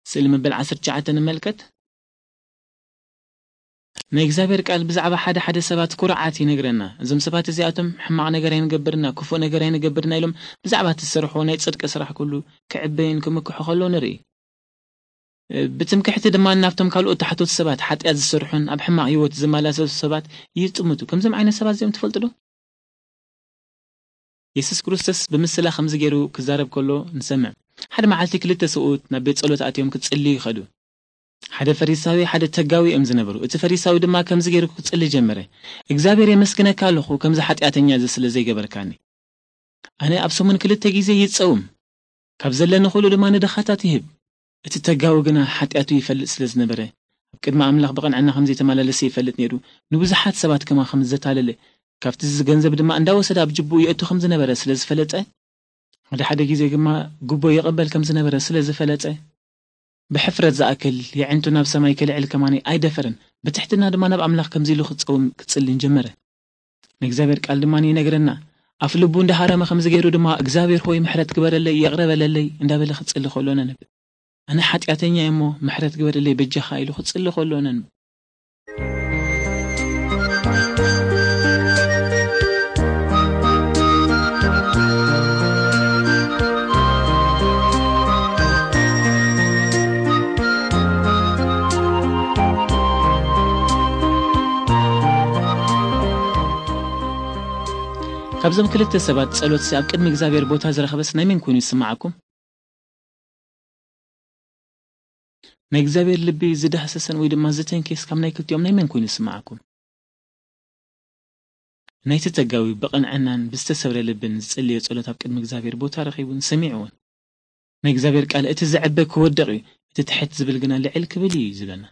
ስእሊ መበል ዓሰርተ ትሽዓተ ንመልከት። ናይ እግዚኣብሔር ቃል ብዛዕባ ሓደ ሓደ ሰባት ኩርዓት ይነግረና። እዞም ሰባት እዚኣቶም ሕማቕ ነገር ኣይንገብርና፣ ክፉእ ነገር ኣይንገብርና ኢሎም ብዛዕባ እቲ ዝሰርሕዎ ናይ ጽድቂ ስራሕ ኩሉ ክዕበዩን ክምክሑ ከለዉ ንርኢ። ብትምክሕቲ ድማ ናብቶም ካልኦት ታሕቶት ሰባት ሓጢኣት ዝሰርሑን ኣብ ሕማቕ ህይወት ዝመላለሱ ሰባት ይጥምቱ። ከምዞም ዓይነት ሰባት እዚኦም ትፈልጡ ዶ? የሱስ ክርስቶስ ብምስላ ከምዚ ገይሩ ክዛረብ ከሎ ንሰምዕ። ሓደ መዓልቲ ክልተ ሰብኡት ናብ ቤት ጸሎት ኣትዮም ክጽልዩ ይኸዱ። ሓደ ፈሪሳዊ፣ ሓደ ተጋዊ እዮም ዝነበሩ። እቲ ፈሪሳዊ ድማ ከምዚ ገይሩ ክጽሊ ጀመረ። "እግዚኣብሔር የመስግነካ ኣለኹ፣ ከምዚ ሓጢኣተኛ እዚ ስለ ዘይገበርካኒ። ኣነ ኣብ ሰሙን ክልተ ግዜ ይጸውም፣ ካብ ዘለኒ ኩሉ ድማ ንድኻታት ይህብ።" እቲ ተጋዊ ግና ሓጢኣቱ ይፈልጥ ስለ ዝነበረ፣ ኣብ ቅድሚ ኣምላኽ ብቕንዕና ከም ዘይተመላለሰ ይፈልጥ ነይሩ። ንብዙሓት ሰባት ከማ ከም ዘታለለ፣ ካብቲ እዚ ገንዘብ ድማ እንዳወሰደ ኣብ ጅብኡ የእቱ ከም ዝነበረ ስለ ዝፈለጠ፣ ሓደ ሓደ ግዜ ድማ ጉቦ ይቕበል ከም ዝነበረ ስለ ዝፈለጠ፣ ብሕፍረት ዝኣክል የዕንቱ ናብ ሰማይ ክልዕል ከማኒ ኣይደፈረን። ብትሕትና ድማ ናብ ኣምላኽ ከምዚ ኢሉ ክጸውም ክጽልን ጀመረ። ንእግዚኣብሔር ቃል ድማ ይነግረና፣ ኣፍ ልቡ እንዳሃረመ ከምዚ ገይሩ ድማ፣ "እግዚኣብሔር ሆይ ምሕረት ግበረለይ፣ ይቕረ በለለይ" እንዳበለ ክጽሊ ከሎ ነንብብ። "ኣነ ሓጢኣተኛ እየ እሞ ምሕረት ግበረለይ በጃኻ" ኢሉ ክጽሊ ከሎ ነንብብ። ካብዞም ክልተ ሰባት ጸሎትሲ ኣብ ቅድሚ እግዚኣብሔር ቦታ ዝረኸበስ ናይ መን ኮይኑ ይስምዓኩም? ናይ እግዚኣብሔር ልቢ ዝዳህሰሰን ወይ ድማ ዝተንከየስ ካብ ናይ ክልቲኦም ናይ መን ኮይኑ ይስምዓኩም? ናይቲ ተጋዊ ብቕንዕናን ብዝተሰብረ ልብን ዝጸለዮ ጸሎት ኣብ ቅድሚ እግዚኣብሔር ቦታ ረኺቡን ሰሚዕዎን። ናይ እግዚኣብሔር ቃል፣ "እቲ ዝዕበ ክወድቕ እዩ፣ እቲ ትሕት ዝብል ግና ልዕል ክብል እዩ" እዩ ዝብለና።